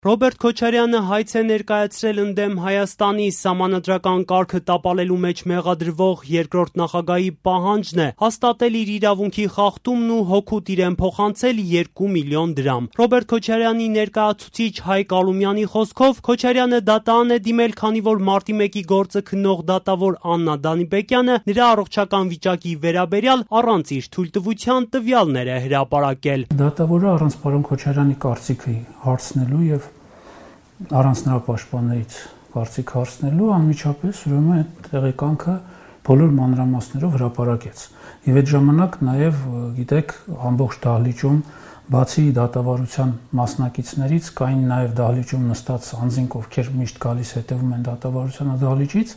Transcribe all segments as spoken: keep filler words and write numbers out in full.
Ռոբերտ Քոչարյանը հայց է ներկայացրել ընդդեմ Հայաստանի սահմանադրական կարգը տապալելու մեջ մեղադրվող երկրորդ նախագահի պահանջն է հաստատել իր իրավունքի խախտումն ու հօգուտ իրեն փոխանցել երկու միլիոն դրամ։ Ռոբերտ Քոչարյանի ներկայացուցիչ Հայկ Ալումյանի խոսքով Քոչարյանը դատարան է դիմել, քանի որ մարտի մեկի գործը քննող դատավոր Աննա Դանիբեկյանը նրա առողջական վիճակի վերաբերյալ առանց իր թույլտվության տվյալներ է հրապարակել։ Դատավորը առանց պարոն Քոչարյանի կարծիքի հարցնելու եւ առանց նրա պաշտպաններից կարծիք հարցնելու անմիջապես ուրեմն այդ տեղեկանքը բոլոր մանրամասներով հրապարակեց։ Եվ այդ ժամանակ նաև, գիտեք, ամբողջ դահլիճում բացի դատավարության մասնակիցներից կային նաև դահլիճում նստած անձինք, ովքեր միշտ գալիս հետևում են դատավարության դահլիճից,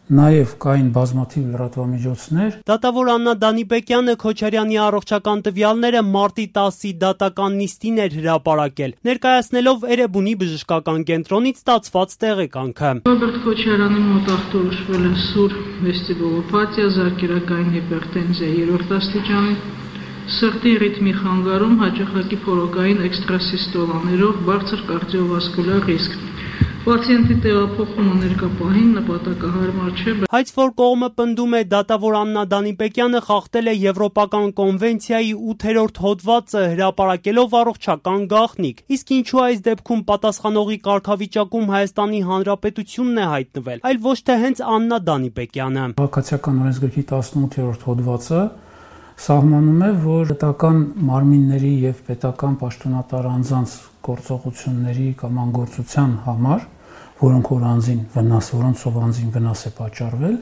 նաև կային բազմաթիվ լրատվամիջոցներ։ Դատավոր Աննա Դանիբեկյանը Քոչարյանի առողջական տվյալները մարտի տասի դատական նիստին էր հրապարակել, ներկայացնելով Էրեբունի բժշկական կենտրոնից ստացված տեղեկանքը։ Ռոբերտ Քոչարյանի մոտ ախտորոշվել է սուր վեստիբուլոպաթիա, զարկերակային հիպերտենզիա երրորդ աստիճանի, սրտի ռիթմի խանգարում, հաճախակի փորոկային էքստրասիստոլաներով, բարձր կարդիովասկուլար ռիսկ։ Պացիենտի տեղափոխումը ներկա պահին նպատակահարմար չէ։ Հայց որ կողմը պնդում է դատավոր Աննա Դանիբեկյանը խախտել է Եվրոպական կոնվենցիայի ութերորդ հոդվածը հրապարակելով առողջական գաղտնիք, իսկ ինչու այս դեպքում պատասխանողի կարգավիճակում Հայաստանի Հանրապետությունն է հայտնվել, այլ ոչ թե հենց Աննա Դանիբեկյանը։ Քաղաքացիական օրենսգրքի տասնութերորդ հոդվածը սահմանում է, որ պետական մարմինների եւ պետական պաշտոնատար անձանց գործողությունների կամ անգործության համար, որոնք որ անձին վնաս, որոնցով անձին վնաս է պատճառվել,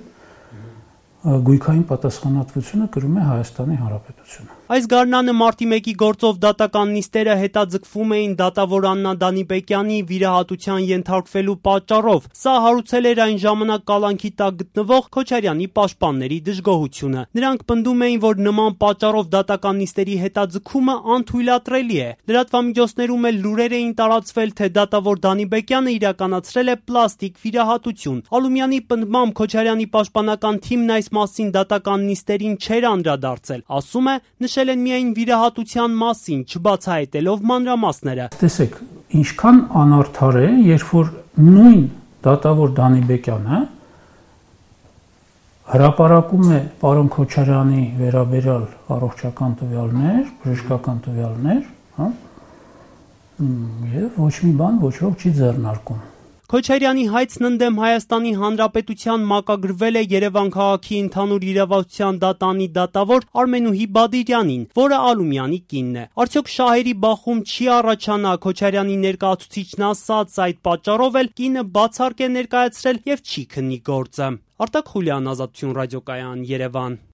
գույքային պատասխանատվությունը կրում է Հայաստանի Հանրապետությունը։ Այս գարնանը մարտի մեկի գործով դատական նիստերը հետաձգվում էին դատավոր Աննա Դանիբեկյանի վիրահատության ենթարկվելու պատճառով։ Սա հարուցել էր այն ժամանակ կալանքի տակ գտնվող Քոչարյանի պաշտպանների դժգոհությունը։ Նրանք պնդում էին, որ նման պատճառով դատական նիստերի հետաձգումը անթույլատրելի է։ Լրատվամիջոցներում էլ լուրեր էին տարածվել, թե դատավոր Դանիբեկյանը իրականացրել է պլաստիկ վիրահատություն։ Ալումյանի պնդմամբ Քոչարյանի պաշտպանական թիմն այս մասին դատական նիստերին չէր անդրադարձել, ասում է, նշել են միայն վիրահատության մասին, չբացահայտելով մանրամասները։ Տեսեք, ինչքան անարդար է, երբ որ նույն դատավոր Դանիբեկյանը հրապարակում է պարոն Քոչարյանի վերաբերյալ առողջական տվյալներ, բժշկական տվյալներ, հա, եւ ոչ մի բան ոչ ոք չի ձեռնարկում։ Քոչարյանի հայցն ընդդեմ Հայաստանի Հանրապետության մակագրվել է Երևան քաղաքի ընդհանուր իրավասության դատանի դատավոր Արմենուհի Բադիրյանին, որը Ալումյանի կինն է։ Արդյոք շահերի բախում չի առաջանա, Քոչարյանի ներկայացուցիչն ասաց, այդ պատճառով էլ կինը բացառկ է ներկայացրել եւ չի քննի գործը։ Արտակ Խուլյան, Ազատություն ռադիոկայան, Երևան։